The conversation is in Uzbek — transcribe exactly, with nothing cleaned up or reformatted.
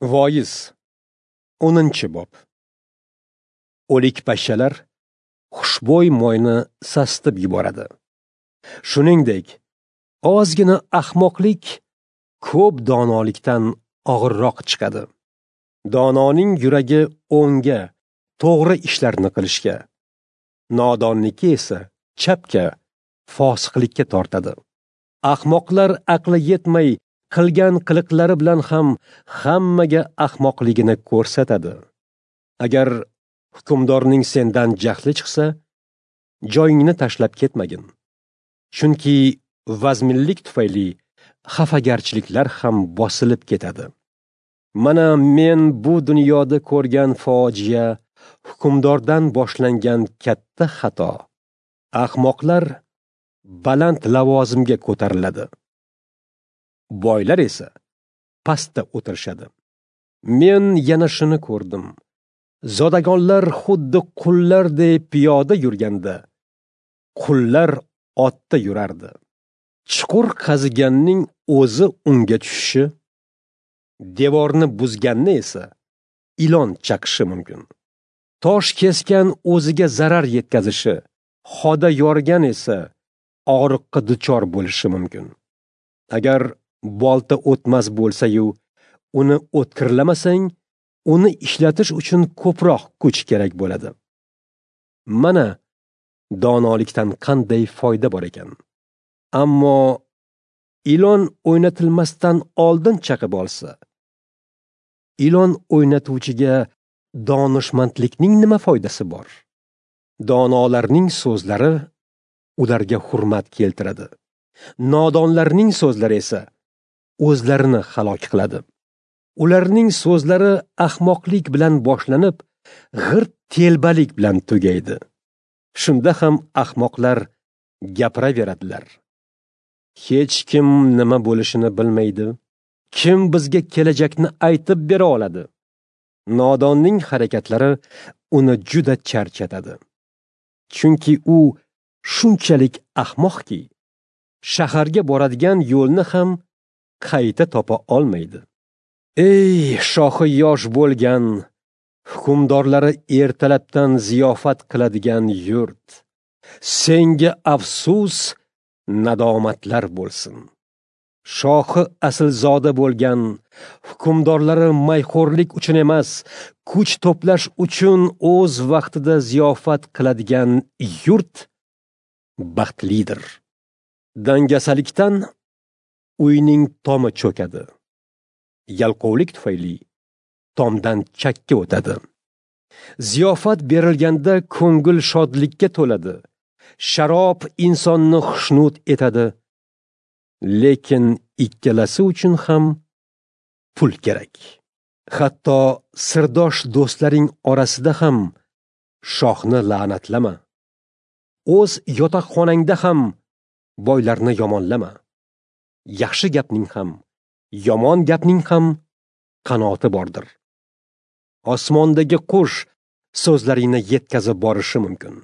Voiz o'ninchi bob. O'lik pashshalar xushbo'y moyni sasitib yuboradi. Shuningdek, ozgina ahmoqlik ko'p donolikdan og'irroq chiqadi. Dononing yuragi o'ngga, to'g'ri ishlarni qilishga, nodonniki esa chapga, fosiqlikka tortadi. Ahmoqlar aqli yetmay qilgan qiliqlari bilan ham hammaga ahmoqligini ko'rsatadi. Agar hukmdorning sendan jahli chiqsa, joyingni tashlab ketmagin. Chunki vazminlik tufayli xafagarchiliklar ham bosilib ketadi. Mana men bu dunyoda ko'rgan fojia hukmdordan boshlangan katta xato. Ahmoqlar baland lavozimga ko'tariladi. Boylar esa pastda o'tirishadi. Men yana shuni ko'rdim. Zodagonlar xuddi qullardek piyoda yurganda, qullar otda yurardi. Chuqur qaziganning o'zi unga tushishi, devorni buzganni esa ilon chaqishi mumkin. Tosh kesgan o'ziga zarar yetkazishi, xoda yorgan esa og'riqqa duchor bo'lishi mumkin. Agar bolta o'tmas bo'lsa-yu, uni o'tkirlamasang, uni ishlatish uchun ko'proq kuch kerak bo'ladi. Mana donolikdan qanday foyda bor ekan. Ammo ilon o'ynatilmasdan oldin chaqib olsa, ilon o'ynatuvchiga donishmandlikning nima foydasi bor? Donolarning so'zlari ularga hurmat keltiradi. Nodonlarning so'zlari esa o'zlarini halok qiladi. Ularning so'zlari ahmoqlik bilan boshlanib, g'irt telbalik bilan tugaydi. Shunda ham ahmoqlar gapiraveradilar. Hech kim nima bo'lishini bilmaydi. Kim bizga kelajakni aytib bera oladi? Nodonning harakatlari uni juda charchatadi. Chunki u shunchalik ahmoqki, shaharga boradigan yo'lni ham qayta topa olmaydi. Ey shohi yosh bo'lgan, hukmdorlari ertalabdan ziyofat qiladigan yurt, senga afsus, nadomatlar bo'lsin. Shohi aslzoda bo'lgan, hukmdorlari mayxo'rlik uchun emas, kuch to'plash uchun o'z vaqtida ziyofat qiladigan yurt baxtlidir. Dangasalikdan uyning tomi cho'kadi. Yalqovlik tufayli tomdan chakka o'tadi. Ziyofat berilganda ko'ngil shodlikka to'ladi. Sharob insonni xushnud etadi. Lekin ikkalasi uchun ham pul kerak. Hatto sirdosh do'stlaring orasida ham shohni la'natlama. O'z yotoqxonangda ham boylarni yomonlama. Yaxshi gapning ham, yomon gapning ham qanoti bordir. Osmondagi qush so'zlaringni yetkazib borishi mumkin.